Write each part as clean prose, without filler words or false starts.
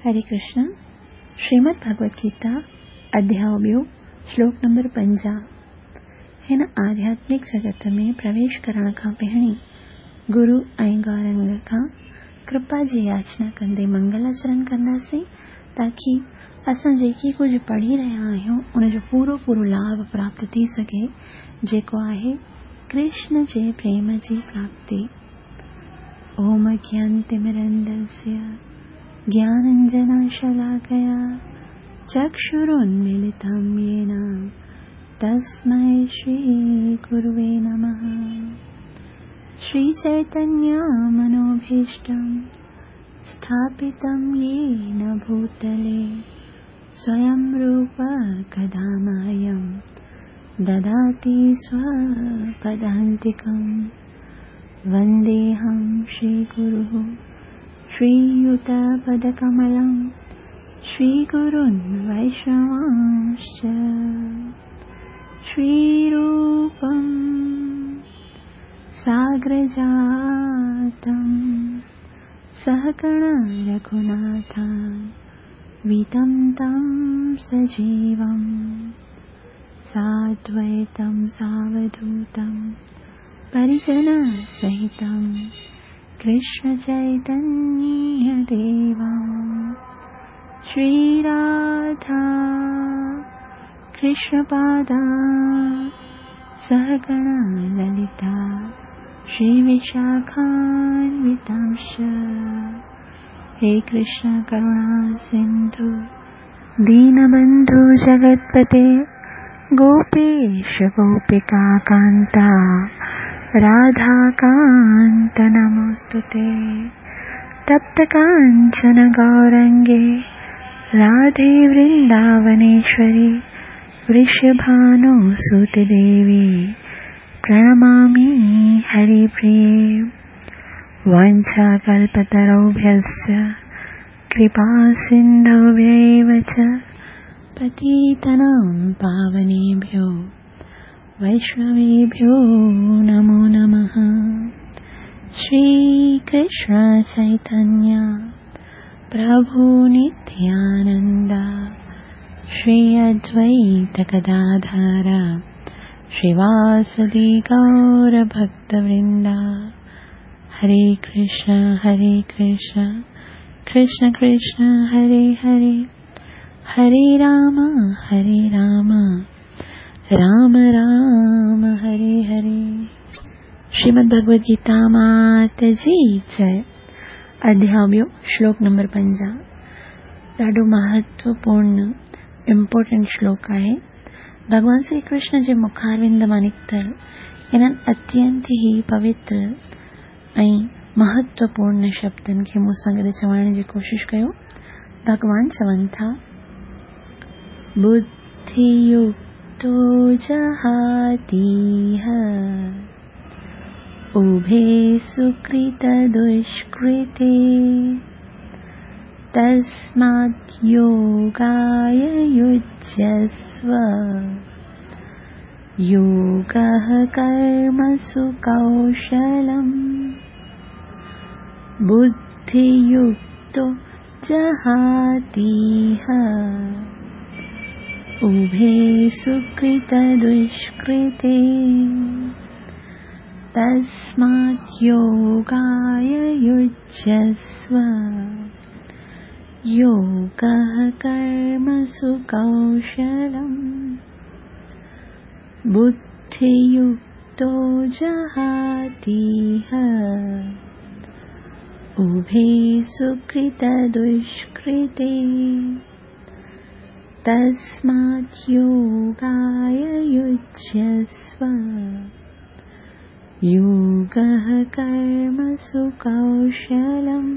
هري ڪرشن، شريمد ڀڳوت گيتا، اڌياء ٻيو، شلوڪ نمبر 50. هن آڌياتمڪ جڳت ۾ پرويش ڪرڻ کان پهرين گرو ۽ گورنگ کان ڪرپا جي ياچنا ڪندي منگل آچرڻ ڪنداسين تاڪي اسان جيڪي ڪجهه پڙهي رهيا آهيون ان جو پورو پورو لاڀ پراپت ٿي سگهي، جيڪو آهي ڪرشن جي پريم جي پراپتي. اوم اگيانتمرندسيه گيانانجنشلاڪيا چڪشرونميلتم يين تسمي شري گروي نمه. شري چيتنيه منوڀيشٽم اسٿاپتم يين ڀوتلي سويم روپ ڪدا مهيم دداتي سوپدانتڪم. ونديهم شري گرو شري يوتپدڪملم شري گرون ويشنوانشچ. شري روپم ساگرجاتم سهگڻ رگهوناٿم ويتم تم سجيوم سادويتم ساوڌوتم پريجن سهتم ڪرشن چيتنيه ديوم. شري راڌا ڪرشن پادا سهگڻ للتا شري وشاکانوتانش. هي ڪرشن ڪروڻا سنڌو دينبنڌو جگتپتي گوپيش گوپيڪا ڪانتا راڌا ڪانت نموستتي. تپت ڪانچن گورنگي راڌي ورنداونيشوري ورشڀانو سوت ديوي پرڻمامي هري پريي. وانڇا ڪلپتروڀيشچ ڪرپا سنڌوڀيو چ پتيتنام پاونيڀيو ويشنويڀيو نمو نمه. شري ڪرشن چيتنيه پرڀو نتيانند شري ادويت گداڌر شريواسدي گور ڀڪت ورندا. هري ڪرشن هري ڪرشن ڪرشن ڪرشن هري هري هري رام هري رام رام رام هري هري. شريمد ڀڳوت گيتا مات جي جئي. اڌياء ٻيو، شلوڪ نمبر 50. ڏاڍو مهتوپورڻ امپورٽنٽ شلوڪ آهي. ڀڳوان شري ڪرشن جي مکاروند مان نڪتل انهن اتينت ئي پوتر ۽ مهتوپورڻ شبدن کي مون سان گڏ چوائڻ جي ڪوشش ڪيو. ڀڳوان چون ٿا، ٻڌيڪتو جهاتيهه اڀي سڪرت دشڪرتي تسمات يوگاي يجسو يوگه ڪرمسو ڪوشلم. ٻڌيڪتو جهاتيهه اڀي سڪرت دشڪرتي تسمات يوگاي يجسو يوگه ڪرمسو ڪوشلم. ٻڌيڪتو جهاتيهه اڀي سڪرت دشڪرتي تسمات يوگاي يجسو يوگه ڪرمسو ڪوشلم.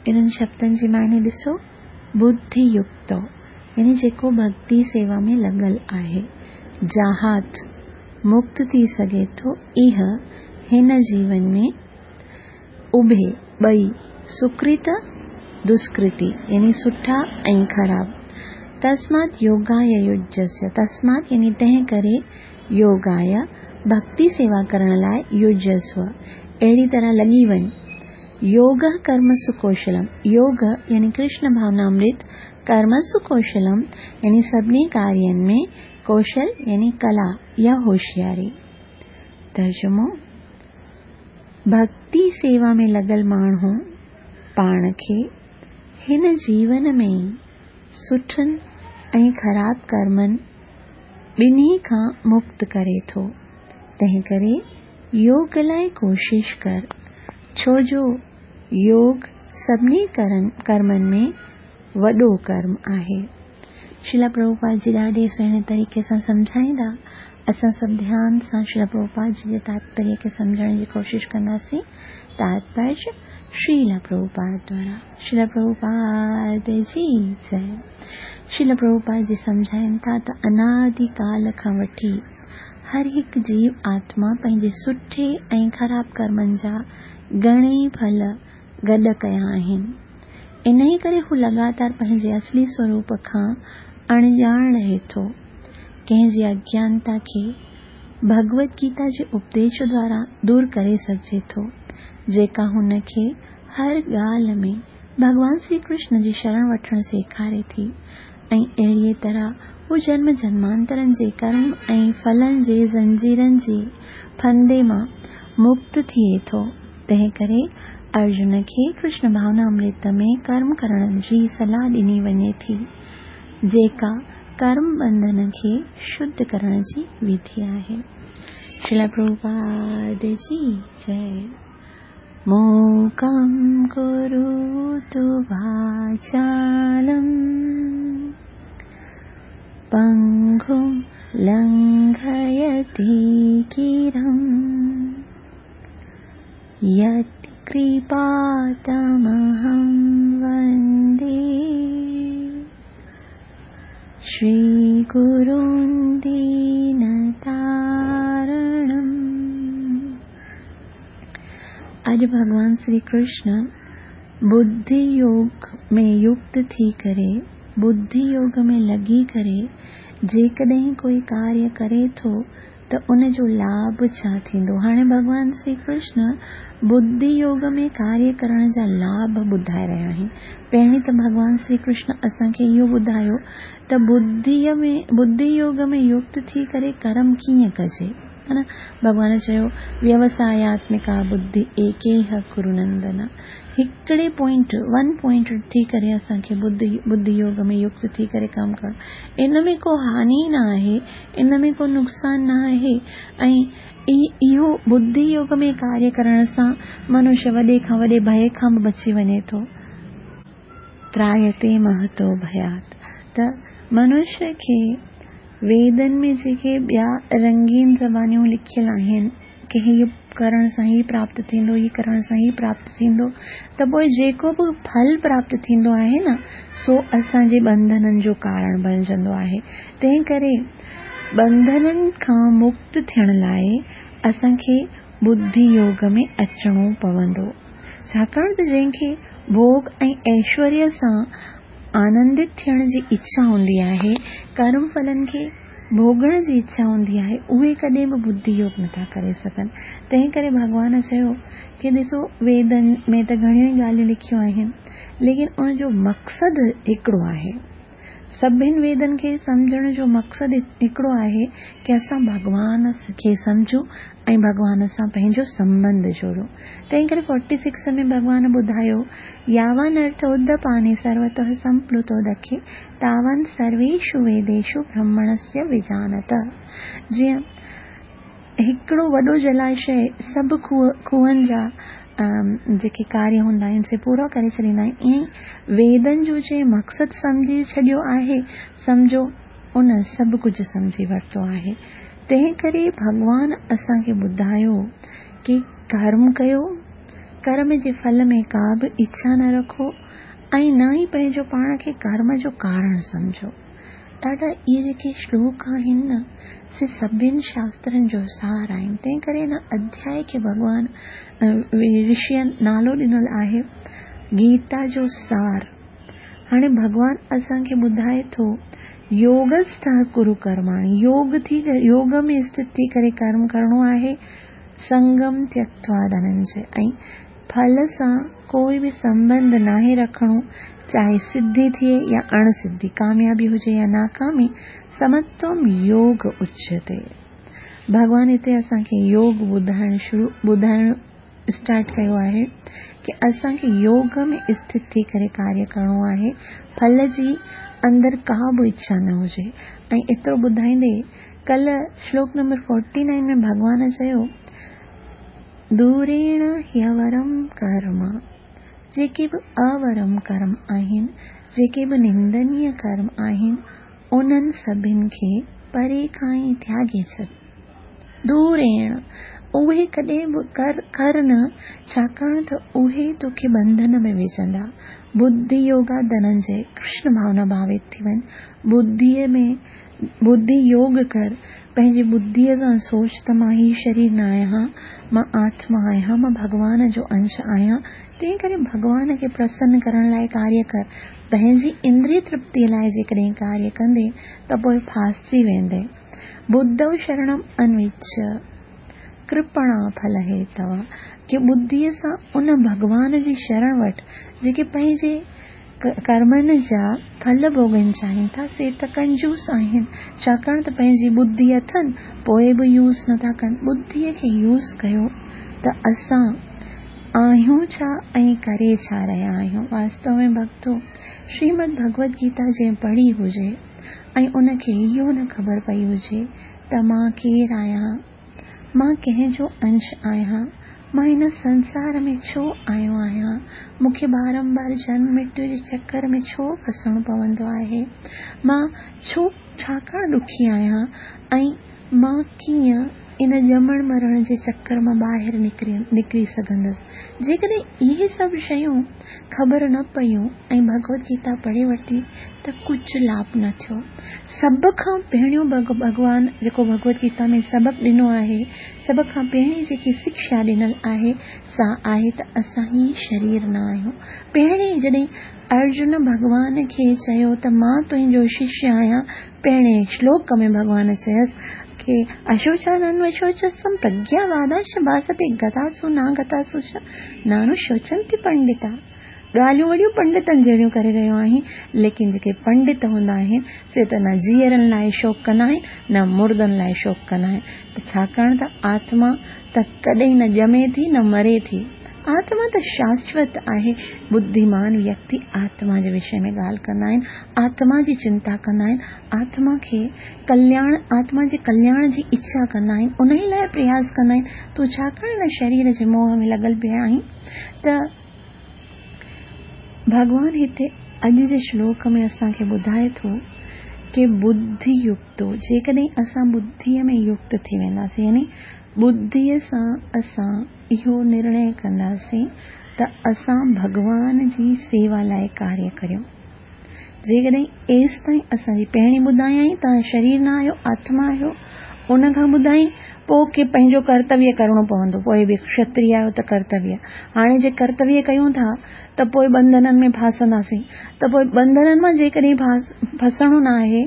انهن شبدن جي معني ڏسو، ٻڌيڪتو يعني جيڪو ڀڳتي سيوا ۾ لڳل آهي، جهات مڪت ٿي سگهي ٿو، اها هن جيون ۾ اڀي ٻئي سڪرت دشڪرتي يعني سٺا ۽ خراب. تسمات يوگاي يجسو، تسمات يعني تنهن ڪري، يوگاي ڀڳتي سيوا ڪرڻ لاء، يجسو اهڙي طرح لڳي وڃ. يوگه ڪرمسو ڪوشلم، يوگ يعني ڪرشن ڀاونامرت، ڪرمسو ڪوشلم يعني سڀني ڪارين ۾ ڪوشل يعني ڪلا يا هوشياري. ترجمو، ڀڳتي سيوا ۾ لڳل ماڻهو پاڻ کي هن جيون ۾ ئي سٺن ۽ خراب ڪرمن ٻنهي کان مڪت ڪري ٿو، تنهنڪري يوگ لاء ڪوشش ڪر، ڇو جو يوگ سڀني ڪرمن ۾ وڏو ڪرم آهي. شريلا پرڀوپاد جي ڏاڍي سهڻي طريقي سان سمجهائيندا. اسان سڀ ڌيان سان شريلا پرڀوپاد جي جي تاتپريه کي سمجهڻ جي ڪوشش ڪنداسين. تاتپريه شريلا پرڀوپاد دوارا. شريلا پرڀوپاد جي جئي. شريلا پرڀوپاد جي سمجهائين ٿا ته انادي ڪال کان وٺي هر هڪ جيو آتما پنهنجي سٺي ۽ خراب ڪرمن جا گهڻيئي ڦل گڏ ڪيا آهن. انهيء ڪري هو لڳاتار پنهنجي اصلي سوروپ کان اڻڄاڻ رهي ٿو. ڪنهن جي اگيانتا کي ڀڳوت گيتا جي اپديش دوارا دور ڪري سگهجي ٿو، جيڪا هن کي هر ڳالهه ۾ ڀڳوان سري ڪرشن جي شرڻ وٺڻ سيکاري ٿي ۽ اهڙيء طرح هو جنم جنمانترن جي ڪرم ۽ ڦلن جي زنجيرن جي ڦندي مان مڪت ٿئي ٿو. تنهنڪري ارجن کي ڪرشن ڀاونامرت ۾ ڪرم ڪرڻ جي صلاح ڏني وڃي ٿي، جيڪا ڪرم ٻنڌن کي شڌ ڪرڻ جي وڌي آهي. شريلا پرڀوپاد جي جئي. موڪم ڪروتو واچالم پنگم لنگهيتي گرم يتڪرپا تمهم وندي شري گرون دينتارڻم. اڄ ڀڳوان سري ڪرشن ٻڌي يوگ ۾ يڪت ٿي ڪري، ٻڌي يوگ ۾ لڳي ڪري جيڪڏهن ڪوئي ڪاريه ڪري ٿو ته ان جو لاڀ ڇا ٿيندو؟ هاڻي ڀڳوان سري ڪرشن ٻڌي يوگ ۾ ڪاريه ڪرڻ جا لاڀ ٻڌائي رهيا آهن. پهرين ته ڀڳوان سري ڪرشن اسان کي اهو ٻڌايو ته ٻڌي يوگ ۾ يڪت ٿي ڪري ڪرم ڪيئن ڪجي؟ ها نه؟ ڀڳوان چيو، ويوساياتمڪا ٻڌي ايڪيهه ڪرو نندن. هڪڙي پوائنٽ، ون پوائنٽ، ٿي ڪري اسان کي ٻڌي يوگ ۾ يڪت ٿي ڪري ڪم ڪرڻ. ان ۾ ڪو هاني نه آهي، ان ۾ ڪو نقصان نه آهي ۽ اهو ٻڌي يوگ ۾ ڪاريه ڪرڻ سان منش وڏي کان وڏي ڀئي کان به بچي وڃي ٿو. ترايتي مهتو ڀيات ته منش کي ويدن ۾ جيڪي ٻيا رنگين زبانيون لکيل آهن ڪي هي ڪرڻ سان هي پراپت ٿيندو، هي ڪرڻ سان هي پراپت ٿيندو ته پوء جيڪو به ڦل پراپت ٿيندو آهي نه سو اسان جي ٻنڌنن جو ڪارڻ بڻجندو آهي. تنهن ڪري ٻنڌنن کان مڪت ٿيڻ لاء اسان کي ٻڌي يوگ ۾ اچڻو پوندو. ڇاڪاڻ ته جنهن کي ڀوڳ ۽ ايشوريه سان آنندت ٿيڻ جي اڇا هوندي آهي، ڪرم ڦلن کي ڀوڳڻ جي اڇا هوندي آهي، اهي ڪڏهن به ٻڌي يوگ نٿا ڪري سگهن. تنهن ڪري ڀڳوان چيو ڪي ڏسو ويدن ۾ ته گهڻيون ئي ڳالهيون لکيون آهن، ليڪن ان جو مقصد هڪڙو آهي. سڀن ويدن کي سمجهڻ جو مقصد هڪڙو آهي ڪي اسان ڀڳوان کي سمجهون ۽ ڀڳوان سان پنهنجو سنٻنڌ جوڙيون. تنهن ڪري فورٽي سڪس ۾ ڀڳوان ٻڌايو، ياوان ارٿ ادپاني سروتوه سمپلوتو دکي تاوان سرويشو ويديشو برهمڻسيه وجانت. جيئن هڪڙو وڏو جلاشيه سڀ کوهن جا جيڪي ڪاريه هوندا آهن سي پورا ڪري ڇڏيندا آهن، ائين ئي ويدن جو جنهن مقصد سمجهي ڇڏيو آهي، سمجهو ان سڀ ڪجهه سمجهي ورتو آهي. تنهن ڪري ڀڳوان اسان کي ٻڌايو ڪي ڪرم ڪيو، ڪرم جي ڦل ۾ ڪا به اڇا نه رکو ۽ نه ئي پنهنجو پاڻ کي ڪرم جو ڪارڻ سمجهو. ڏاڍا اهي جيڪي شلوڪ آهن نه سي سڀن شاسترن جو سار آهن تنهن ڪري هن اڌيائي کي ڀڳوان رشيء نالو ڏنل آهي گيتا جو سار. هاڻي ڀڳوان اسان کي ٻڌائي ٿو يوگسٿ ڪرو ڪرماڻي يوگ ٿي يوگ ۾ اسٿت ٿي ڪري ڪرم ڪرڻو آهي سنگم تيڪتوا ڌننجي ۽ ڦل سان ڪوئي به سنٻنڌ ناهي رکڻو، چاهي سڌي ٿئي يا اڻ سڌي، ڪاميابي هجي يا ناڪامي، سمتوم يوگ اچيتي. ڀڳوان هتي اسان کي يوگ ٻڌائڻ شروع ٻڌائڻ اسٽارٽ ڪيو آهي ڪي اسان کي يوگ ۾ اسٿت ٿي ڪري ڪاريه ڪرڻو آهي، ڦل جي اندر ڪا به اڇا نه هجي. ۽ ايترو ٻڌائيندي ڪلهه شلوڪ نمبر 49 ۾ ڀڳوان چيو، دوريڻ هيورم ڪرم، جيڪي به اورم ڪرم آهن، جيڪي به نندنيه ڪرم آهن، انهن سڀن کي پري کان ئي تياڳي ڇڏ. دوريڻ، اهي ڪڏهن به ڪر نه، ڇاڪاڻ ته اهي توکي ٻنڌن ۾ وجهندا. ٻڌي يوگا ڌننجي، ڪرشن ڀاونا ڀاوت ٿي وڃ، ٻڌيء ۾ ٻڌي يوگ ڪر، پنهنجي ٻڌيء سان سوچ ته مان هي شرير نه آهيان، مان آتما آهيان، مان ڀڳوان جو انش آهيان، تنهن ڪري ڀڳوان کي پرسن ڪرڻ لاء ڪاريه ڪر. پنهنجي اندري ترپتيء لاء جيڪڏهن ڪاريه ڪندين ته پوء ڦاسجي ويندين. ٻڌو شرڻم انوچ، ڪرپڻا ڦل هيتوا، ڪي ٻڌيء سان ان ڀڳوان جي شرڻ وٺ، جيڪي پنهنجي ڪرمن جا ڦل ڀوڳڻ چاهين ٿا، سي ته ڪنجوس آهن، ڇاڪاڻ ته پنهنجي ٻڌي اٿن، پوء به يوز نٿا ڪن. ٻڌيء کي يوز ڪيو ته اسان آهيون ڇا ۽ ڪري ڇا رهيا آهيون. واستو ۾ ڀڳتو، شريمد ڀڳوت گيتا جنهن پڙهي هجي ۽ ان کي اهو نه خبر پئي هجي ته مان ڪير آهيان، مان ڪنهن جو انش آهيان، مان هن سنسار ۾ ڇو آيو آهيان، مون کي بارنبار جنم مرتيو جي چڪر ۾ ڇو ڦسڻو پوندو آهي، مان ڇو ڇاڪاڻ ڏکي آهيان ۽ مان ڪيئن ان ڄمڻ مرڻ جي چڪر مان ٻاهر نڪري سگهندس. جيڪڏهن اهي سڀ شيون خبر نه پيون ۽ ڀڳوت گيتا پڙهي ورتي ته ڪجهه لاڀ نه ٿيو. سڀ کان پهريون ڀڳوان جيڪو ڀڳوت گيتا ۾ سبق ڏنو آهي، سڀ کان پهرين جيڪي سکشا ڏنل آهي سا آهي ته اسان هي شرير نه آهيون. پهرين جڏهن ارجن ڀڳوان کي چيو ته مان تنهنجو ششيه آهيان، پهرين شلوڪ ۾ ڀڳوان چيس ڪي اشوچانانوشوچستوم پرگياوادانش ڀاستي گتاسو ناگتاسو چ نانوشوچنتي پنڊتا. ڳالهيون وڏيون پنڊتن جهڙيون ڪري رهيو آهين، ليڪن جيڪي پنڊت هوندا آهن سي ته نه جيئرن لاء شوڪ ڪندا آهن نه مردن لاء شوڪ ڪندا آهن ته ڇاڪاڻ ته آتما ته ڪڏهن نه ڄمي ٿي نه مري ٿي. آتما ته شاشوت آهي. ٻڌيمان ويڪتي آتما جي وشي ۾ ڳالهه ڪندا آهن، آتما جي چنتا ڪندا آهن، آتما کي ڪلياڻ، آتما جي ڪلياڻ جي اڇا ڪندا آهن، انهي لاء پرياس ڪندا آهن. تون ڇاڪاڻ هن شرير جي موهه ۾ لڳل پيو آهين ته ڀڳوان هتي اڄ جي شلوڪ ۾ اسان کي ٻڌائي ٿو ڪي ٻڌي يڪتو، جيڪڏهن اسان ٻڌيء ۾ يڪت ٿي وينداسين يعني ٻڌيء سان اسان اهو نرڻي ڪنداسين ته اسان ڀڳوان جي سيوا لاء ڪاريه ڪريون. جيڪڏهن ايستائين اسان جي پهرين ٻڌايائين توهان شرير نه آهيو آتما آهيو، ان کان ٻڌائين پوء ڪي پنهنجو ڪرتويه ڪرڻو پوندو، پوء به کشتري آهيو ته ڪرتويه. هاڻي جي ڪرتويه ڪيون ٿا ته پوء ٻنڌنن ۾ ڦاسنداسين ته پوء ٻنڌنن مان جيڪڏهن ڦسڻو نه آهي،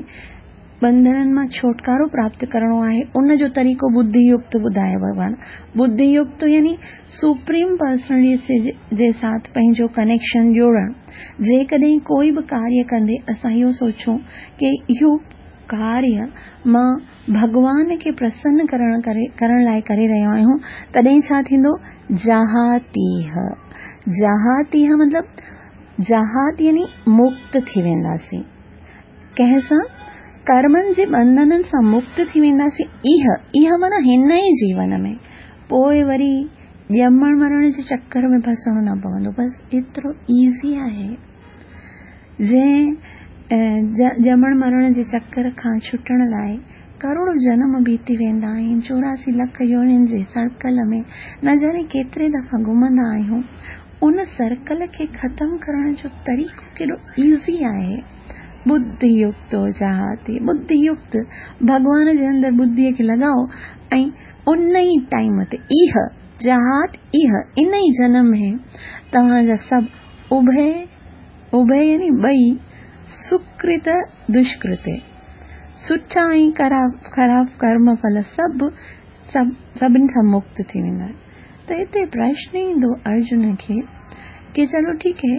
ٻنڌنن مان ڇوٽڪارو پراپت ڪرڻو آهي، ان جو طريقو ٻڌي يڪت ٻڌايو ڀڳوان. ٻڌي يڪت يعني سپريم پرسنلٽي جي ساٿ پنهنجو ڪنيڪشن جوڙڻ. جيڪڏهن ڪوئي به ڪاريه ڪندي اسان اهو سوچون ڪي اهو ڪاريه مان ڀڳوان کي پرسن ڪرڻ لاء ڪري رهيو آهيون تڏهن ڇا ٿيندو؟ جهاتيه. جهاتيه مطلب جهات يعني مڪت ٿي وينداسين. ڪنهن سان؟ ڪرمن جي ٻنڌنن سان مڪت ٿي وينداسين. ايهه، ايهه معنيٰ هن ئي جيون ۾. پوء وري ڄمڻ مرڻ جي چڪر ۾ ڦسڻو نه پوندو. بس ايترو ايزي آهي. جنهن ڄمڻ مرڻ جي چڪر کان ڇٽڻ لاء ڪروڙو جنم بيتي ويندا آهن، 84 لک يونين جي سرڪل ۾ نه ڄاڻي ڪيتري دفعا گهمندا آهيون. ان سرڪل کي ختم ڪرڻ جو طريقو ڪيڏو ايزي آهي. ٻڌي يڪت جهاتي، ٻڌي يڪت ڀڳوان جي اندر ٻڌيء کي لڳائو ۽ ان ئي ٽائيم تي ايهه جهات ايهه ان ئي جنم ۾ توهان جا سڀ اڀي، اڀي يعني ٻئي، سڪرت دشڪرتي، سٺا ۽ خراب ڪرم ڦل سڀ سڀني کان مڪت ٿي ويندا. ته هتي پرشن ايندو ارجن کي ڪي چلو ٺيڪ هي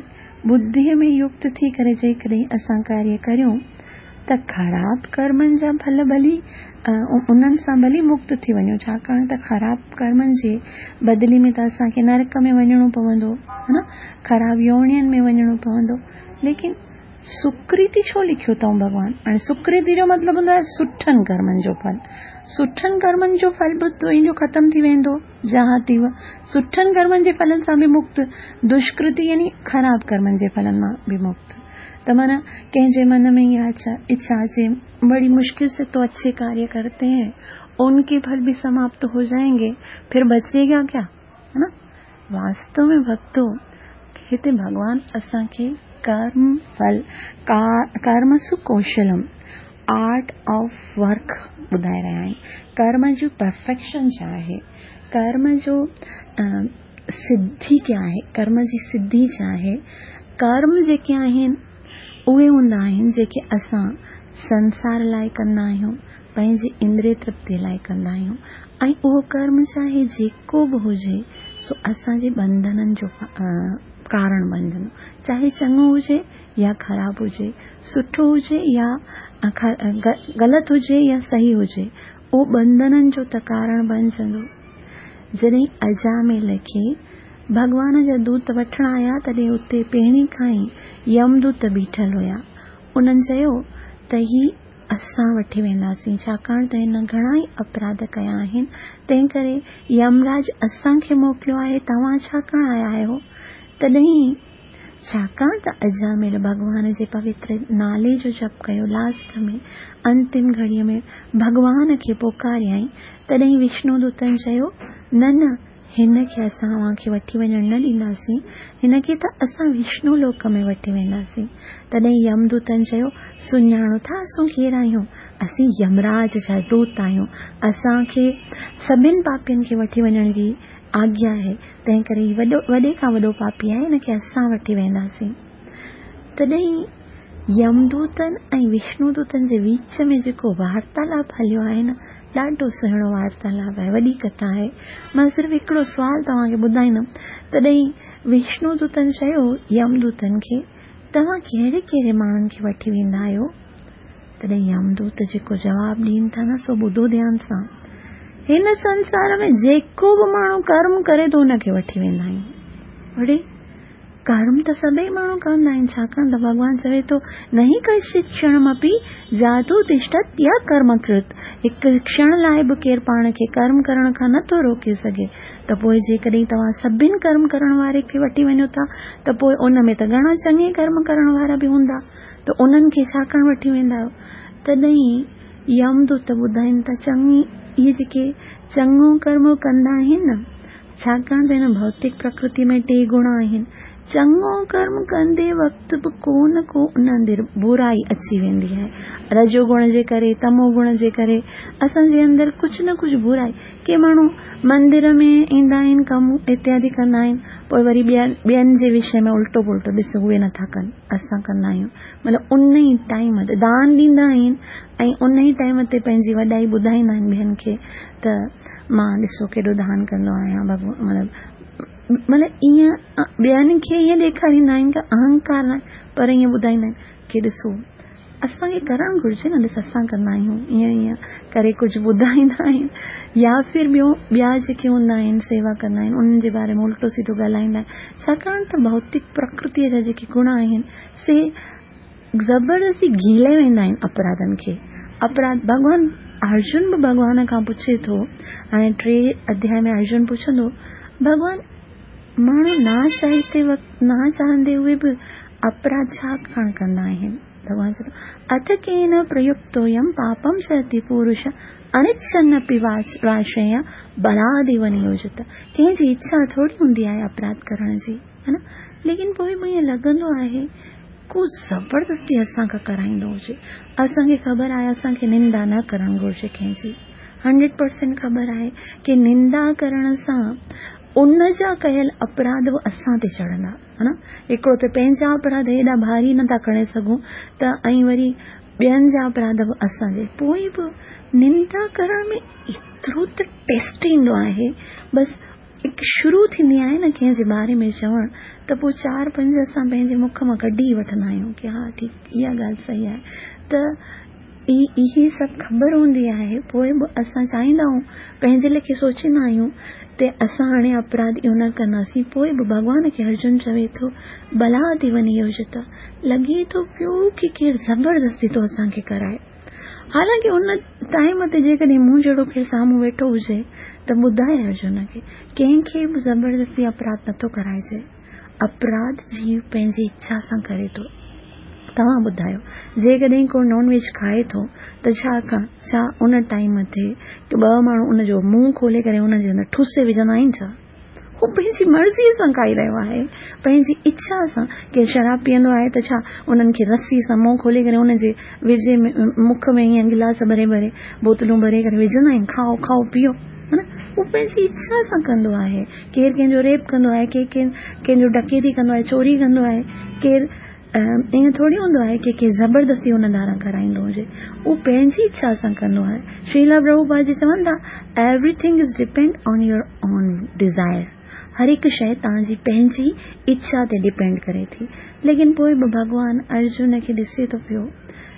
ٻڌيء ۾ يڪت ٿي ڪري جيڪڏهن اسان ڪاريه ڪريون ته خراب ڪرمن جا ڦل ڀلي انهن سان ڀلي مڪت ٿي وڃون، ڇاڪاڻ ته خراب ڪرمن جي بدلي ۾ ته اسان کي نرڪ ۾ وڃڻو پوندو، ها نه، خراب يوڻين ۾ وڃڻو پوندو، ليڪن سڪرتي ڇو لکيو اٿئون ڀڳوان؟ هاڻي سڪرتي جو مطلب هوندو آهي سٺن ڪرمن جو ڦل. سٺن ڪرمن جو ڦل به تنهنجو ختم ٿي ويندو، جهاتيو. سٺن ڪرمن جي ڦلن سان به مڪت، دشڪرتي يعني خراب ڪرمن جي ڦلن مان به مڪت. ته معنيٰ ڪنهن جي من ۾ اها اڇا اچي، بڙي مشڪل سي تو اڇي ڪاريه ڪرتي هين، ان ڪي ڦل به سماپت هو جائين گي، ڦر بچي گا ڪيا؟ ها نه؟ واستو ۾ ڀڳتو، هتي ڀڳوان اسان کي ڪرم ڦل، ڪرم سڪوشلم، آرٽ آف ورڪ ٻڌائي رهيا آهن. ڪرم جو پرفيڪشن ڇا آهي؟ ڪرم جو سڌي ڪيا آهي؟ ڪرم جي سڌي ڇا آهي؟ ڪرم جيڪي آهن اهي هوندا آهن جيڪي اسان سنسار لاء ڪندا آهيون، پنهنجي اندري ترپتي لاء ڪندا آهيون ۽ اهو ڪرم چاهي جيڪو به هجي سو اسان جي ٻنڌنن جو ڪارڻ بڻجندو، چاهي چڱو هجي يا خراب هجي، سٺو هجي يا غلط هجي يا صحيح هجي، اهو ٻنڌنن جو ته ڪارڻ بڻجندو. جڏهن اجاميل کي ڀڳوان جا دوت وٺڻ آيا تڏهن اتي پهرين کان ئي يمدوت بيٺل هيا. انهن چيو ته هي اسان وٺي وينداسين، ڇاڪاڻ ته هن گهڻا ئي اپراڌ ڪيا آهن، تنهنڪري يمراج اسان کي موڪليو آهي، توهان ڇا ڪرڻ آيا آهيو؟ تڏهن ڇاڪاڻ ته اجاميل ڀڳوان جي پوتر نالي جو جپ ڪيو، لاسٽ ۾ انتم گهڙيء ۾ ڀڳوان کي پڪاريائين، تڏهن وشنو دوتن چيو، نه نه، هن کي اسان اوهان کي وٺي وڃڻ نه ڏينداسين، هن کي ته اسان وشنو لوڪ ۾ وٺي وينداسين. تڏهن يمدوتن چيو، سڃاڻو ٿا اسون ڪير آهيون؟ اسين يمراج جا دوت آهيون. اسان کي سڀن پاپين کي وٺي وڃڻ جي آگيا آهي، تنهنڪري هي وڏو وڏي کان وڏو پاپي آهي، هن کي اسان وٺي وينداسين. تڏهن يمدوتن ۽ وشنودوتن جي وچ ۾ جيڪو وارتالاپ هليو آهي نه، ڏاڍو سهڻو وارتالاپ آهي، وڏي ڪٿا آهي. مان صرف هڪڙو سوال توهان کي ٻڌائيندم. تڏهن وشنودوتن چيو يمدوتن کي، توهان ڪهڙي ڪهڙي ماڻهن کي وٺي ويندا آهيو؟ تڏهن يمدوت جيڪو جواب ڏين ٿا نه سو ٻڌو ڌيان سان. هن سنسار ۾ جيڪو به ماڻهو ڪرم ڪري ٿو ان کي وٺي ويندا آهيون. اڙي ڪرم ته سڀئي ماڻهو ڪندا آهن، ڇاڪاڻ ته ڀڳوان چوي ٿو نهي ڪشچت ڪشڻمپي جاتو تشتت يا ڪرم ڪرت، هڪ ڪشڻ لاء به ڪير پاڻ کي ڪرم ڪرڻ کان نه ٿو روڪي سگهي، ته پوء جيڪڏهن توهان سڀن ڪرم ڪرڻ واري کي وٺي وڃو ٿا ته پوء ان ۾ ته گهڻا چڱي ڪرم ڪرڻ وارا به هوندا ته انهن کي ڇا ڪرڻ وٺي ويندا آهيو؟ تڏهن يمدوت ٻڌائين ٿا چڱي اهي جيڪي چڱو ڪرم ڪندا آهن نه ڇاڪاڻ ته هن ڀوتڪ پرڪرتي ۾ ٽي گڻ آهن. چڱو ڪرم ڪندي وقت به ڪو نه ڪو ان اندر برائي اچي ويندي آهي. رجو گڻ جي ڪري، تمو گڻ جي ڪري اسان جي اندر ڪجهه نه ڪجهه برائي. ڪي ماڻهو مندر ۾ ايندا آهن، ڪم اتيادي ڪندا آهن، پوء وري ٻين ٻين جي وشي ۾ الٽو پلٽو ڏس اهي نٿا ڪن، اسان ڪندا آهيون. مطلب ان ئي ٽائيم تي دان ڏيندا آهن ۽ ان ئي ٽائيم تي پنهنجي وڏائي ٻڌائيندا آهن ٻين کي ته مان ڏسو ڪيڏو دان ڪندو آهيان ڀڳوان مطلب مطلب ائين ٻين کي ائين ڏيکاريندا آهن ته اهنڪار نه پر ائين ٻڌائيندا آهن ڪي ڏسو اسان کي ڪرڻ گهرجي نه ڏس اسان ڪندا آهيون ائين ائين ڪري ڪجهه ٻڌائيندا آهن يا ڦر ٻيو ٻيا جيڪي هوندا آهن سيوا ڪندا آهن انهن جي باري ۾ الٽو سيڌو ڳالهائيندا آهن ڇاڪاڻ ته ڀوتڪ پرڪرتيء جا جيڪي گڻ آهن سي زبردستي گهيلي ويندا آهن اپراڌن کي. اپراڌ ڀڳوان ارجن به ڀڳوان کان پڇي ٿو، هاڻي ٽي اڌياء ۾ ارجن پڇندو، ڀڳوان ماڻهو نا چاهيتي وقت نا چاهندي هئي به اپراڌ ڇا ڪاڻ ڪندا آهن؟ ڀڳوان چئي ٿو، اٿ ڪين پريڪتويم پاپم چرتي پورش انڇن اپي وارشيا بلاديو نيوجت. ڪنهن جي اڇا ٿوري هوندي آهي اپراڌ ڪرڻ جي. ها نه ليڪن پوء به ائين لڳندو آهي ڪو زبردستي اسان کان ڪرائيندو هجي اسان کي خبر آهي اسان کي نندا نه ڪرڻ گهرجي ڪنهن جي هنڊريڊ پرسينٽ خبر آهي ڪي نندا ڪرڻ سان ان جا ڪيل اپراڌ به اسان تي چڙهندا ها نه هڪڙو ته پنهنجا اپراڌ هيڏا ڀاري نٿا کڻي سگهون ته ۽ وري ٻين جا اپراڌ به اسان جي پوء به نندا ڪرڻ ۾ ايترو ته ٽيسٽ ايندو آهي بس. هڪ شروع ٿيندي آهي نه ڪنهن جي باري ۾ چوڻ ته پوء چار پنج اسان پنهنجي مک مان ڪڍي ئي وٺندا آهيون ڪي ها ٺيڪ اها ڳالهه صحيح آهي ته اهي سڀ خبر هوندي آهي پوء به اسان چاهيندا آهيون پنهنجي ليکي سوچيندا آهيون ته اسان هاڻي اپراڌ اهو نه ڪنداسين پوء به ڀڳوان کي ارجن چوي ٿو بلا ٿي وڃي يوجتا لڳي ٿو پيو ڪي ڪير زبردستي ٿو اسان کي ڪرائي حالانڪه ان ٽائيم تي جيڪڏهن مون جهڙو ڪير سامهون ويٺو هجي ته ٻڌائي ارجن کي ڪنهن کي به زبردستي اپراڌ نٿو ڪرائجي. اپراڌ جيو پنهنجي اڇا سان ڪري ٿو. توهان ٻڌايو جيڪڏهن ڪو نان ويج کائي ٿو ته ڇا ڇا ان ٽائيم تي ٻه ماڻهو ان جو منهن کولي ڪري ان جي اندر ٺوسي وجهندا آهن ڇا؟ هو پنهنجي مرضيء سان کائي رهيو آهي، پنهنجي اڇا سان. ڪير شراب پيئندو آهي ته ڇا انهن کي رسي سان منهن کولي ڪري ان جي وجهي مک ۾ ائين گلاس ڀري ڀري بوتلون ڀري ڪري وجهندا آهن، کائو کائو پيئو. ها نه هو پنهنجي اڇا سان ڪندو آهي. ڪير ڪنهن جو ريپ ڪندو آهي، ڪير ڪنهن جو ڊڪيتي ڪندو آهي، چوري ڪندو آهي، ڪير ائين ٿوري هوندو آهي ڪي ڪير زبردستي ان ڌاران ڪرائيندو هجي. هو پنهنجي اڇا سان ڪندو آهي. شريلا پرڀوپاد جي چون ٿا Everything is depend on your own desire هر هڪ شيء توهان جي پنهنجي اڇا تي ڊپينڊ ڪري ٿي. ليڪن پوء به ڀڳوان ارجن کي ڏسي ٿو پيو.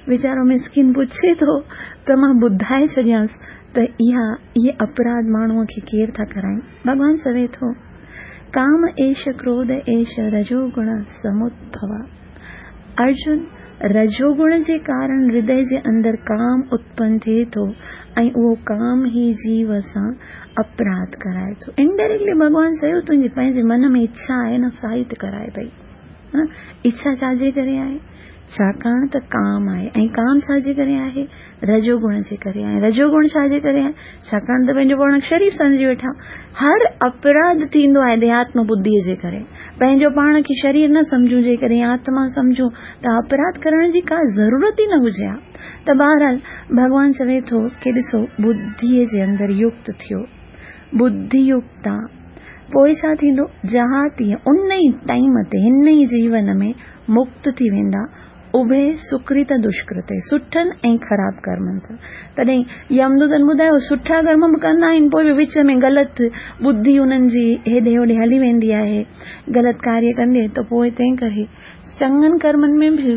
ويچارو مسڪين پڇي ٿو ته مان ٻڌائي ڇڏيانس ته اها اهي اپراڌ ماڻهوء کي ڪير ٿا ڪرائين. ڀڳوان چوي ٿو. ڪام ايش ڪروڌ ايش رجوگڻ سمودڀوا. ارجن، رجوگڻ جي ڪارڻ هردي جي اندر ڪام اتپن ٿئي ٿو ۽ اهو ڪام ئي جيو سان اپراڌ ڪرائي ٿو. انڊائريڪٽلي ڀڳوان چيو تنهنجي پنهنجي من ۾ اڇا آهي نه سا ئي ته ڪرائي پئي. اڇا ڇا جي ڪري آهي؟ ڇاڪاڻ ته ڪام آهي ۽ ڪام ڇا جي ڪري آهي؟ رجو گڻ جي ڪري آهي. رجو گڻ ڇا جي ڪري آهي؟ ڇاڪاڻ ته پنهنجو پاڻ کي شريف سمجهي ويٺا. هر اپراڌ ٿيندو آهي ديهاتم ٻڌيء جي ڪري. پنهنجو پاڻ کي شرير نه سمجهون جيڪڏهن آتما سمجهون ته اپراڌ ڪرڻ جي ڪا ضرورت ئي نه هجي ها. ته بهرحال ڀڳوان چوي ٿو ڪي ڏسو ٻڌيء جي اندر يڪت ٿيو. ٻڌي يڪتا پوء ڇا ٿيندو؟ جهاتيء ان ئي ٽائيم تي هن ئي جيون ۾ مڪت ٿي ويندا، اڀي سڪرت دشڪرت، سٺن ۽ خراب ڪرمن سان. تڏهن يمدوتن ٻڌايو، سٺا ڪرم به ڪندا آهن، پوء به وچ ۾ غلط ٻڌي انهن جي هيڏي هوڏي هلي ويندي آهي، غلط ڪاريه ڪندي ته پوء تنهن ڪري چڱن ڪرمن ۾ به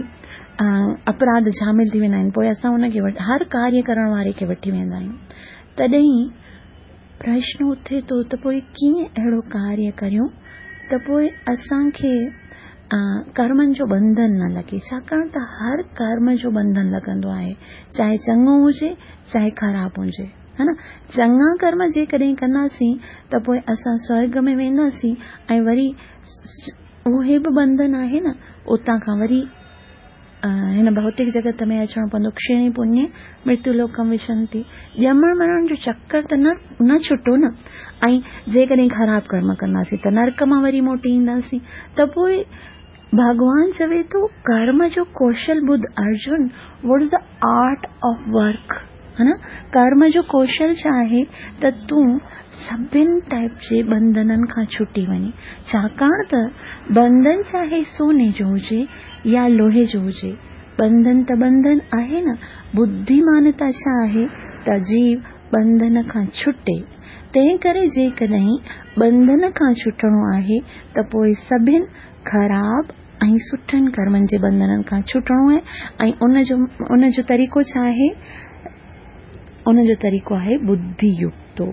اپراڌ شامل ٿي ويندا آهن، پوء اسان ان کي هر ڪاريه ڪرڻ واري کي وٺي ويندا آهيون. تڏهن پرشن اٿي ٿو ته پوء ڪيئن اهڙو ڪاريه ڪريون ته پوء اسان کي ڪرمن جو ٻنڌن نه لڳي، ڇاڪاڻ ته هر ڪرم جو ٻنڌن لڳندو آهي، چاهي چڱو هجي چاهي خراب هجي، ها نه؟ چڱا ڪرم جيڪڏهن ڪنداسين ته پوء اسان سورڳ ۾ وينداسين ۽ وري اهي به ٻنڌن آهي نه، اتان کان وري هن ڀوتڪ جڳت ۾ اچڻو پوندو، ڪشيڻي پڃي مرتيو لوڪم وشنتي، ڄمڻ مرڻ جو چڪر ته نه نه ڇٽو نه، ۽ جيڪڏهن خراب ڪرم ڪنداسين ته نرڪ مان وري موٽي اينداسين، ته پوء ڀڳوان چوي ٿو ڪرم جو ڪوشل ٻڌ Arjun, what is the art of work, ها نه، ڪرم جو ڪوشل ڇا آهي ته تون سڀن ٽائپ جي ٻنڌنن کان ڇٽي وڃين، ڇاڪاڻ ته ٻنڌن چاهي سوني جو هجي يا لوهي جو هجي، ٻنڌن ته ٻنڌن آهي نه، ٻڌيمانتا ڇا آهي ته جيو ٻنڌن کان ڇٽي، تنهنڪري جيڪڏهن ٻنڌن کان ڇٽڻو آهي ته پوء سڀن خراب ۽ سٺن ڪرمن جي ٻنڌنن کان ڇٽڻو آهي ۽ ان جو ان جو طريقو ڇا آهي؟ ان جو طريقو آهي ٻڌي يڪتو،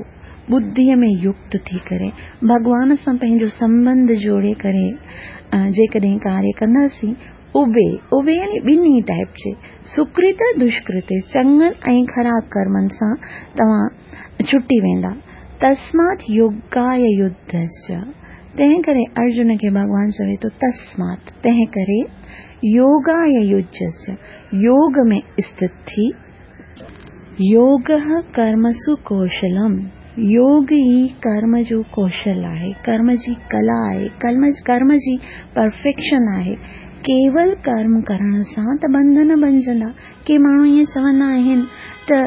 ٻڌيء ۾ يڪت ٿي ڪري ڀڳوان سان پنهنجو سنٻنڌ جوڙي ڪري جيڪڏهن ڪاريه ڪنداسين، اڀي، اڀي يعني ٻنهي ٽائپ جي، سڪرت دشڪرت، چڱن ۽ خراب ڪرمن سان توهان ڇٽي ويندا. تسمات يوگاي يڌسچ، تنهن ڪري ارجن کي ڀڳوان چوي ٿو تسمات، تنهن ڪري، يوگاي يڌسچ، يوگ ۾ استٿ ٿي، يوگه ڪرمسو ڪوشلم، يوگ ئي ڪرم جو ڪوشل آهي، ڪرم جي ڪلا آهي، ڪرم جي پرفيڪشن آهي. ڪيول ڪرم ڪرڻ سان ته ٻنڌن بنجندا. ڪي ماڻهو ائين چوندا آهن ته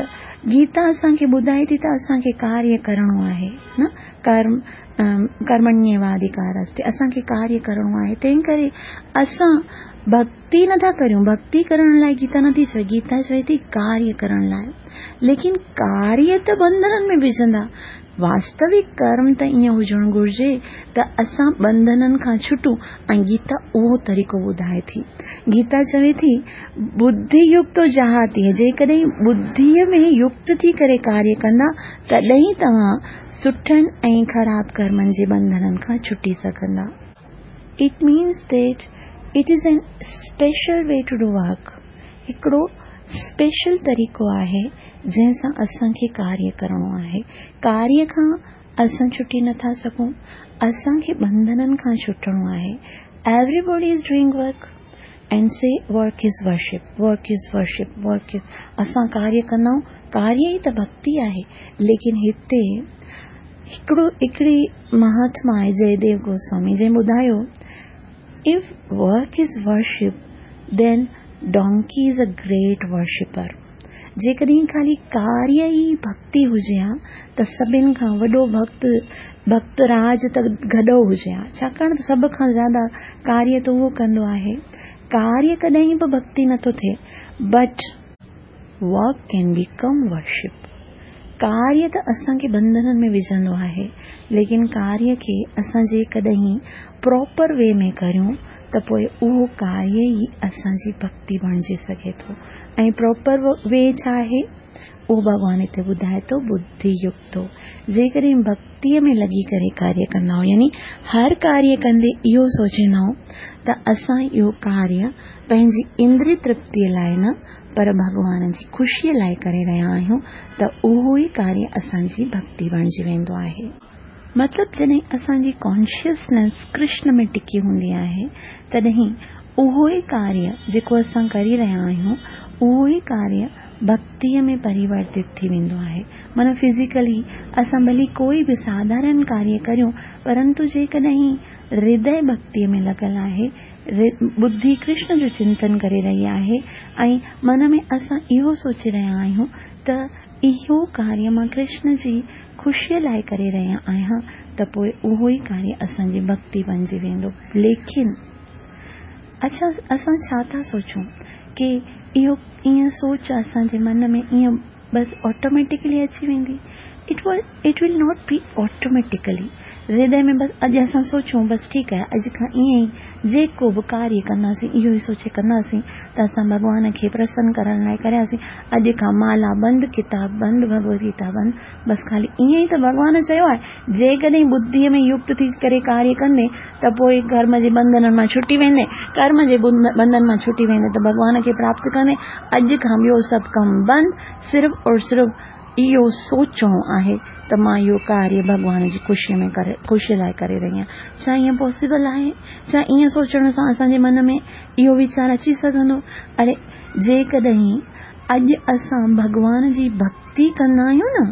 گيتا اسان کي ٻڌائي ٿي ته اسان کي ڪاريه ڪرڻو آهي نه ڪرم ڪرمڻيواڌڪارستي اسان کي ڪاريه ڪرڻو آهي تنهن ڪري اسان ڀڳتي نٿا ڪريون، ڀڳتي ڪرڻ لاء گيتا نٿي چوي، گيتا چوي ٿي ڪاريه ڪرڻ لاء. ليڪن ڪاريه ته ٻنڌنن ۾ وجهندا. واستوڪ ڪرم ته ائين هجڻ گهرجي ته اسان ٻنڌنن کان ڇٽون ۽ گيتا اهو طريقو ٻڌائي ٿي. گيتا چوي ٿي، ٻڌي يڪتو جهاتي، جيڪڏهن ٻڌيء ۾ يڪت ٿي ڪري ڪاريه ڪندا تڏهن ئي توهان سٺن ۽ خراب ڪرمن جي ٻنڌنن کان ڇٽي سگهندا. It means that it is an special way to do work. هڪڙو اسپيشل طريقو آهي جنهن سان اسان کي ڪاريه ڪرڻو آهي. ڪاريه کان اسان ڇٽي نه ٿا سگهون. اسان کي ٻنڌنن کان ڇٽڻو آهي. Everybody is doing work and say work is worship, work is worship, work is اسان ڪاريه ڪندا آهيون، ڪاريه ئي ته ڀڳتي آهي. ليڪن هتي هڪڙو هڪڙي مهاتما آهي جئديو گوسوامي جنهن ٻڌايو If work is worship then donkey is a great worshipper. جيڪڏهن خالي ڪاريه ئي ڀڳتي هجي ها ته سڀن کان وڏو ڀڳت ڀڳت راج ته گڏهو هجي ها ڇاڪاڻ ته سڀ کان زياده ڪاريه ته اهو ڪندو آهي. ڪاريه ڪڏهن به ڀڳتي نٿو ٿئي but work can become worship. ڪاريه ته اسان کي ٻنڌنن ۾ وجهندو آهي ليڪن ڪاريه کي اسان جيڪڏهن پراپر وي ۾ ڪريون ته پوء اهو ڪاريه ئي اسان جي ڀڳتي بڻجي سگهي ٿو ۽ پراپر وي ڇا آهي اهو ڀڳوان هتي ٻڌائي ٿو ٻڌي يڪتو جيڪڏهن ڀڳتيء ۾ لڳي ڪري ڪاريه ڪندا آهيون يعني هر ڪاريه ڪندي اهو سوچيندا آهيون ته اسان اهو ڪاريه پنهنجي اندري ترپتيء لاء نه پر ڀڳوان جي خوشيء لاء ڪري رهيا آهيون ته اهو ئي ڪاريه اسان جي ڀڳتي بڻجي ويندو آهي. مطلب جڏهن اسان جي ڪانشسنيس ڪرشن ۾ ٽڪي هوندي آهي تڏهن اهو ئي ڪاريه جيڪو اسان ڪري رهيا آهيون اهو ئي ڪاريه ڀڳتيء ۾ پريورتت ٿي ويندو آهي. معنيٰ فزيڪلي اسان ڀلي ڪوئي به ساڌارن ڪاريه ڪريون پرنتو جيڪڏهن هردي ڀڳتيء ۾ لڳل آهي ٻڌي ڪرشن جو چنتن ڪري رهي آهي ۽ من ۾ اسان اهو سوچي رهيا آهيون ته اهو ڪاريه مان ڪرشن جي خوشيء لاء ڪري رهي آهيان ته پوء اهو ئي ڪاريه اسان جي ڀڳتي بنجي ويندو. ليڪن اڇا اسان ڇا ٿا سوچون ڪي اهو ائين سوچ اسان جي من ۾ ائين بس آٽوميٽيڪلي اچي ويندي it will it will not be automatically هردي ۾ بس اڄ اسان سوچون بس ٺيڪ آهي اڄ کان ائين ئي جيڪو به ڪاريه ڪنداسين اهو ئي سوچي ڪنداسين ته اسان ڀڳوان کي پرسن ڪرڻ لاء ڪرياسين اڄ کان مالا بند ڪتاب بند ڀڳوت گيتا بند بس خالي ائين ئي ته ڀڳوان چيو آهي جيڪڏهن ٻڌيء ۾ يڪت ٿي ڪري ڪاريه ڪندين ته پوء ڪرم جي ٻنڌنن مان ڇٽي ويندين، ڪرم جي ٻنڌن مان ڇٽي ويندين ته ڀڳوان کي پراپت ڪندين، اڄ کان ٻيو سڀ ڪم بند، صرف اور صرف اهو سوچڻو آهي ته مان اهو ڪاريه ڀڳوان جي خوشيء ۾ ڪري خوشيء لاء ڪري رهي آهيان. ڇا ائين پاسيبل آهي؟ ڇا ائين سوچڻ سان اسان جي من ۾ اهو ويچار اچي سگهندو؟ اڙي جيڪڏهن اڄ اسان ڀڳوان جي ڀڳتي ڪندا آهيون نه،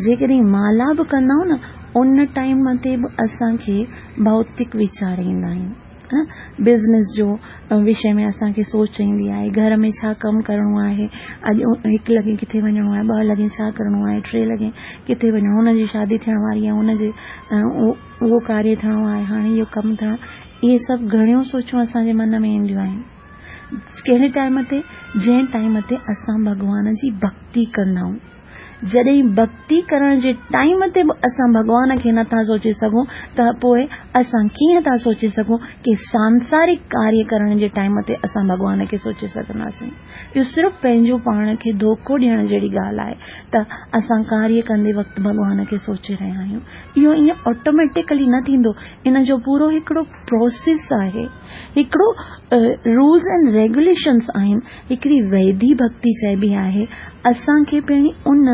جيڪڏهن مالا به ڪندا آهيون نه، ان ٽائيم تي به اسان کي ڀوتڪ ويچار ايندا آهن. بزنس جو وشي ۾ اسان کي سوچ ايندي آهي، گهر ۾ ڇا ڪم ڪرڻو آهي، اڄ هڪ لڳي ڪٿي وڃڻو آهي، ٻه لڳي ڇا ڪرڻو آهي، ٽي لڳي ڪٿي وڃڻو، هن جي شادي ٿيڻ واري آهي، هن جي اهو ڪاريه ٿيڻو آهي، هاڻي اهو ڪم ٿيڻو، اهي سڀ گهڻيون سوچون اسان جي من ۾ اينديون آهن. ڪهڙي ٽائيم تي؟ جنهن ٽائيم تي اسان ڀڳوان جي ڀڳتي ڪندا آهيون. جڏهن ڀڳتي ڪرڻ جي ٽائيم تي به اسان ڀڳوان کي نه ٿا سوچي سگهون ته پوء اسان ڪيئن ٿا سوچي سگهون ڪي سانسارڪ ڪاريه ڪرڻ جي ٽائيم تي اسان ڀڳوان کي سوچي سگهنداسين. اهو صرف پنهنجو پاڻ کي ڌوڪو ڏيڻ جهڙي ڳالهه آهي ته اسان ڪاريه ڪندي وقت ڀڳوان کي سوچي رهيا آهيون. اهو ائين آٽوميٽيڪلي نه ٿيندو. ان جو پورو هڪڙو پروسيس آهي. هڪڙو رولز اينڊ ريگيوليشنز آهن، هڪڙي ويڌي ڀڳتي چئبي آهي، اسان کي پهرين ان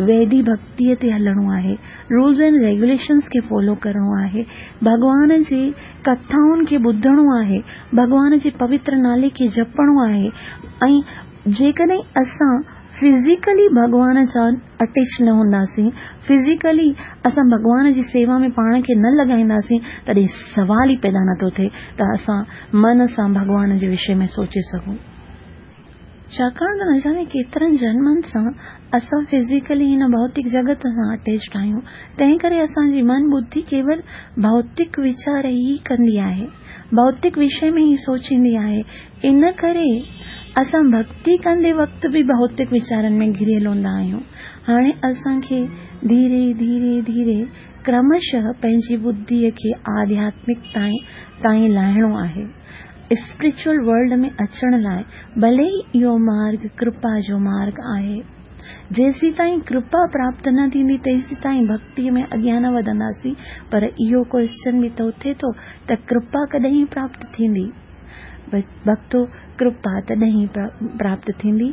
ويڌي ڀڳتيء تي هلڻو آهي، رولز اينڊ ريگيوليشنز کي فالو ڪرڻو آهي، ڀڳوان جي ڪٿائن کي ٻڌڻو آهي، ڀڳوان جي پوتر نالي کي جپڻو آهي ۽ جيڪڏهن اسان فزيڪلي ڀڳوان سان اٽيچ نه هونداسين، فزيڪلي اسان ڀڳوان جي سيوا ۾ پاڻ کي نه لڳائينداسين تڏهن سوال ئي پيدا نٿو ٿئي ته اسان من سان ڀڳوان جي وشي ۾ سوچي سگهون. ڇاڪاڻ ته نه ڄاڻي ڪيترن جنمن سان اسان فزيڪلي هن ڀوتڪ جڳت سان اٽيچڊ آهيون، تنهن ڪري اسان جي من ٻڌي ڪيول ڀوتڪ ويچار ئي ڪندي آهي، ڀوتڪ وشي ۾ ئي سوچيندي آهي، ان ڪري. اسان ڀڳتي ڪندي وقت به ڀوتڪ ويچارن ۾ گهريل هوندا آهيون. هاڻي اسان کي ڌيري ڌيري ڌيري ڪرمشه پنهنجي ٻڌيء کي آڌياتمڪ تائين لاهڻو آهي. اسپرچوئل ورلڊ ۾ اچڻ لاء ڀلي ئي اهو مارگ ڪرپا جو مارگ آهي. جيسيتائين ڪرپا پراپت نه ٿيندي تيسيتائين ڀڳتيء ۾ اڳيان نه وڌنداسين. پر اهو ڪوئسچن به ته اٿي ٿو ته ڪرپا ڪڏهن پراپت ٿيندي؟ ڀڳتو، ڪرپا تڏهن پراپت ٿيندي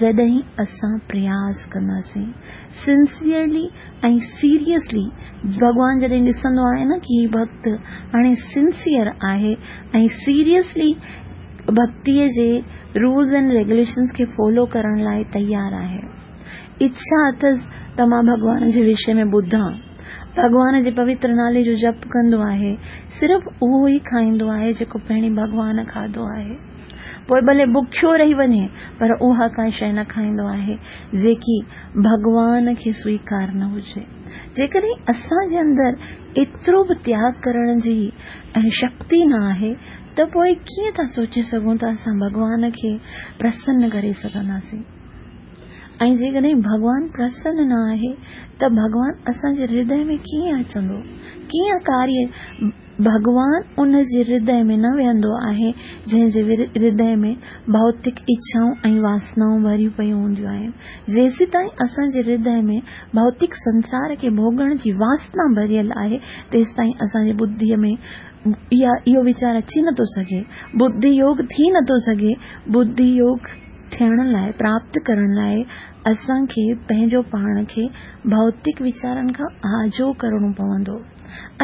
جڏهن اسان پرياس ڪنداسين. سنسيئرلي ۽ سيريسلي ڀڳوان جڏهن ڏسندو آهي نه ڪي هي ڀڳت هاڻي سنسيئر آهي ۽ سيريسلي ڀڳتيء جي رولز اينڊ ريگيوليشنز کي فالو ڪرڻ لاء تيار آهي. اڇا اٿس ته مان ڀڳوان جي وشي ۾ ٻڌان. ڀڳوان جي پوتر نالي جو جپ ڪندو آهي. صرف اهو ئي کائيندو آهي جيڪو پهرين ڀڳوان کاڌو آهي. پوء ڀلي بکيو رهي وڃي پر اها ڪا شيء نه کائيندو آهي جيڪي ڀڳوان کي سويڪار نه هجي. جيڪڏهن اسان جي اندر ايترو به تياڳ ڪرڻ جي شڪتي نه آهي ته پوء ڪيئن ٿا سوچي سگهون ته اسان ڀڳوان کي پرسن ڪري سگهنداسين؟ ۽ جيڪڏهن ڀڳوان پرسن نه آهي ته ڀڳوان اسان جي هردي ۾ ڪيئن اچندو؟ ڪيئن ڪاريه ڀڳوان ان جي هردي ۾ نه ويهندو آهي جنهن جي هردي ۾ ڀوتڪ اڇائون ۽ واسنائون ڀريون پيون هونديون آهن. جيسيتائين اسان جي هردي ۾ ڀوتڪ سنسار کي ڀوڳڻ جي واسنا ڀريل آهي تيستائين اسان جي ٻڌيء ۾ اها اهو ويچار اچي نٿو سگهي، ٻڌي يوگ ٿي نٿو سگهي. ٻڌي يوگ ٿيڻ لاء، پراپت ڪرڻ لاء اسان کي پنهنجو پاڻ کي ڀوتڪ ويچارن کان آجو ڪرڻو پوندو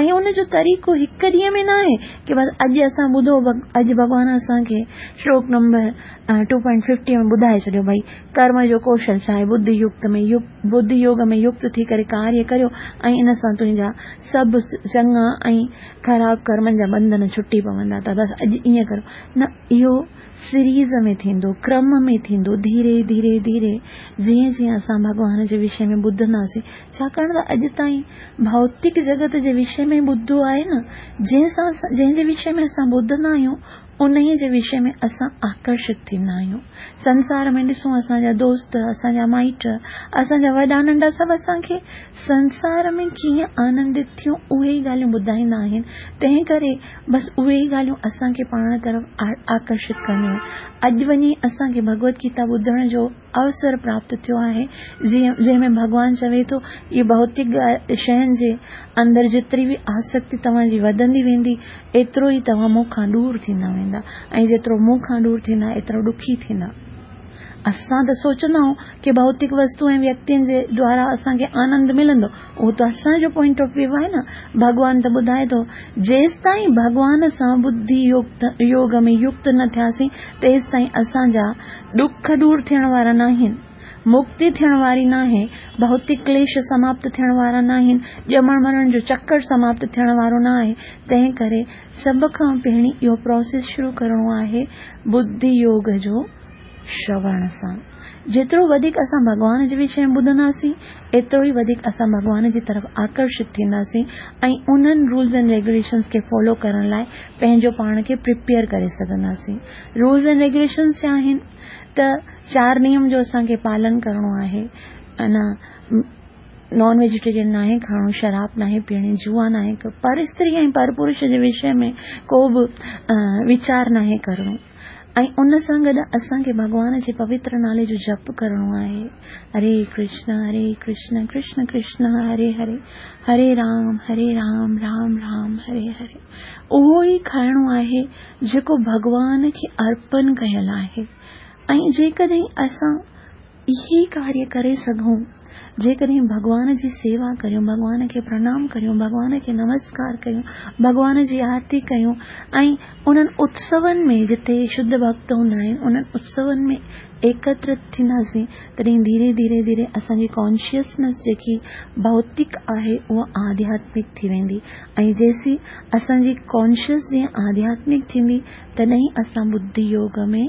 ۽ ان جو طريقو هڪ ڏينهن ۾ ناهي ڪي بس اڄ اسان ٻڌو اڄ ڀڳوان اسان کي شلوڪ نمبر ٽو پوائنٽ ففٽي ۾ ٻڌائي ڇڏيو ڀئي ڪرم جو ڪوشل ڇا آهي ٻڌي يڪت ۾ ٻڌي يوگ ۾ يڪت ٿي ڪري ڪاريه ڪريو ۽ ان سان تنهنجا سڀ چڱا ۽ خراب ڪرمن جا ٻنڌن ڇٽي پوندا ته بس اڄ ائين ڪريو نه اهو سيريز ۾ ٿيندو ڪرم ۾ ٿيندو ڌيري ڌيري ڌيري جيئن جيئن اسان ڀڳوان جي وشي ۾ ٻڌنداسين ڇاڪاڻ ته اڄ تائين ڀوتڪ جڳت جي وشي ۾ ٻڌو آهي نه جنهن سان جنهن جي وشي ۾ اسان ٻڌندا آهيون انهيء جي وشي ۾ اسان آڪرشت ٿيندا آهيون. سنسار ۾ ڏسون اسان جا دوست، اسان جا مائٽ، اسان جا وڏا ننڍا سڀ اسان کي سنسار ۾ ڪيئن آنندت ٿيون اهي ئي ڳالهيون ٻڌائيندا آهن. تنهن ڪري بس اهي ئي ڳالهيون اسان کي پاڻ طرف آڪرشت ڪنديون آهن. اڄ وڃي اسان کي ڀڳوت گيتا ٻڌڻ جو اوسر پراپت ٿيو آهي، جنهن ۾ ڀڳوان چوي ٿو، اهي ڀوتڪ شين جي اندر جيتري به آسڪتي توهان جي وڌندي ويندي، ايترو ئي توهان مون کان ڏور ٿيندا ويندا ۽ جيترو مون کان ڏور ٿيندا ايترو ڏکي ٿيندا. اسان ته سوچندا آهيون ڪي ڀوتڪ وستو ۽ ويڪتين جي دوارا اسان کي آنند ملندو، اهو ته اسان جو پوائنٽ آف ويو آهي نه. ڀڳوان ته ٻڌائي ٿو، جيستائين ڀڳوان سان ٻڌي يوگ ۾ يڪت نه ٿياسين، تيستائين اسان جا ڏک ڏور ٿيڻ وارا ناهن، مڪتي ٿيڻ واري ناهي، ڀوتڪ ڪليش سماپت ٿيڻ وارا ناهن، ڄمڻ مرڻ جو چڪر سماپت ٿيڻ وارو نه آهي، تنهن ڪري سڀ کان پهرين اهو پروسيس شروع ڪرڻو آهي ٻڌي يوگ جو شروڻ سان. جيترو وڌيڪ اسان ڀڳوان جي وشي ۾ ٻڌنداسين، ايترو ئي وڌيڪ اسان ڀڳوان جي طرف آڪرشت ٿينداسين ۽ انهن رولز اينڊ ريگيوليشنز کي فالو ڪرڻ لاء پنهنجو پاڻ کي پريپيئر ڪري سگهنداسين. رولز اينڊ ريگيوليشنز ڇا آهن ته چار نيم جو اسان کي پالن ڪرڻو آهي انا نان ويجيٽيرين ناهي کائڻو شراب ناهي پيئڻي جوا ناهي پر استري ۽ پر پرش جي وشي ۾ ڪو به ويچار ناهي ڪرڻو ۽ ان سان گڏ اسان کي ڀڳوان جي پوتر نالي جو جپ ڪرڻو آهي هري ڪرشن هري ڪرشن ڪرشن ڪرشن هري هري هري رام هري رام رام رام هري هري اهو ئي کائڻو آهي جيڪو ڀڳوان کي ارپن ڪيل آهي ۽ جيڪڏهن اسان اهي ڪاريه ڪري سگهون، جيڪڏهن ڀڳوان جي سيوا ڪريون، ڀڳوان کي پرڻام ڪريون، ڀڳوان کي نمسڪار ڪريون، ڀڳوان جي آرتي ڪيون ۽ انهن اتسون ۾ جتي شڌ ڀڳت هوندا آهن انهن اتسون ۾ ايڪترت ٿينداسين تڏهن ڌيري ڌيري ڌيري اسان جي ڪانشسنيس جيڪي ڀوتڪ آهي اها آڌياتمڪ ٿي ويندي ۽ جيسين اسان جي ڪانشس جيئن آڌياتمڪ ٿيندي تڏهن اسان ٻڌي يوگ ۾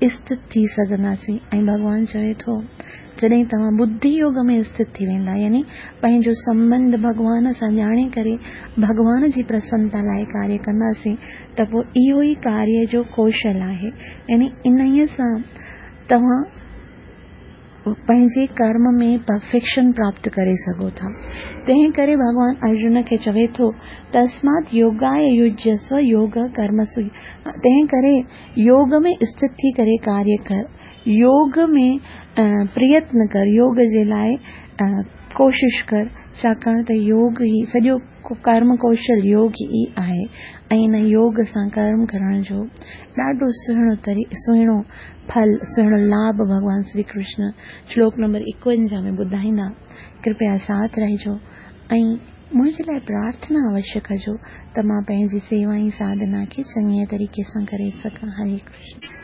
اسٿت ٿي سگهنداسين ۽ ڀڳوان چوي ٿو جڏهن توهان ٻڌي يوگ ۾ اسٿت ٿي ويندا يعني پنهنجو سنٻنڌ ڀڳوان سان ڄاڻي ڪري ڀڳوان جي پرسنتا لاء ڪاريه ڪنداسين ته پوء اهو ئي ڪاريه جو ڪوشل آهي يعني انهيء سان. توهان پنهنجي ڪرم ۾ پرفيڪشن پراپت ڪري سگهو ٿا. تنهن ڪري ڀڳوان ارجن کي چوي ٿو، تسمات يوگاي يجسو يوگ ڪرمسو تنهن ڪري يوگ ۾ اسٿت ٿي ڪري ڪاريه ڪر، يوگ ۾ پريتن ڪر، يوگ جي لاء ڪوشش ڪر، ڇاڪاڻ ته يوگ ئي سڄو ڪرم ڪوشل يوگ ئي آهي ۽ ان يوگ سان ڪرم ڪرڻ جو ڏاڍو سهڻو طري سهڻو ڦل سهڻو لاڀ ڀڳوان شري ڪرشن شلوڪ نمبر 51 ۾ ٻڌائيندا. ڪرپيا ساٿ رهجو ۽ منهنجي لاء پرارٿنا اوشيه ڪجو ته مان پنهنجي سيوا ۽ ساڌنا کي چڱي طريقي سان ڪري سگهان. هري ڪرشن.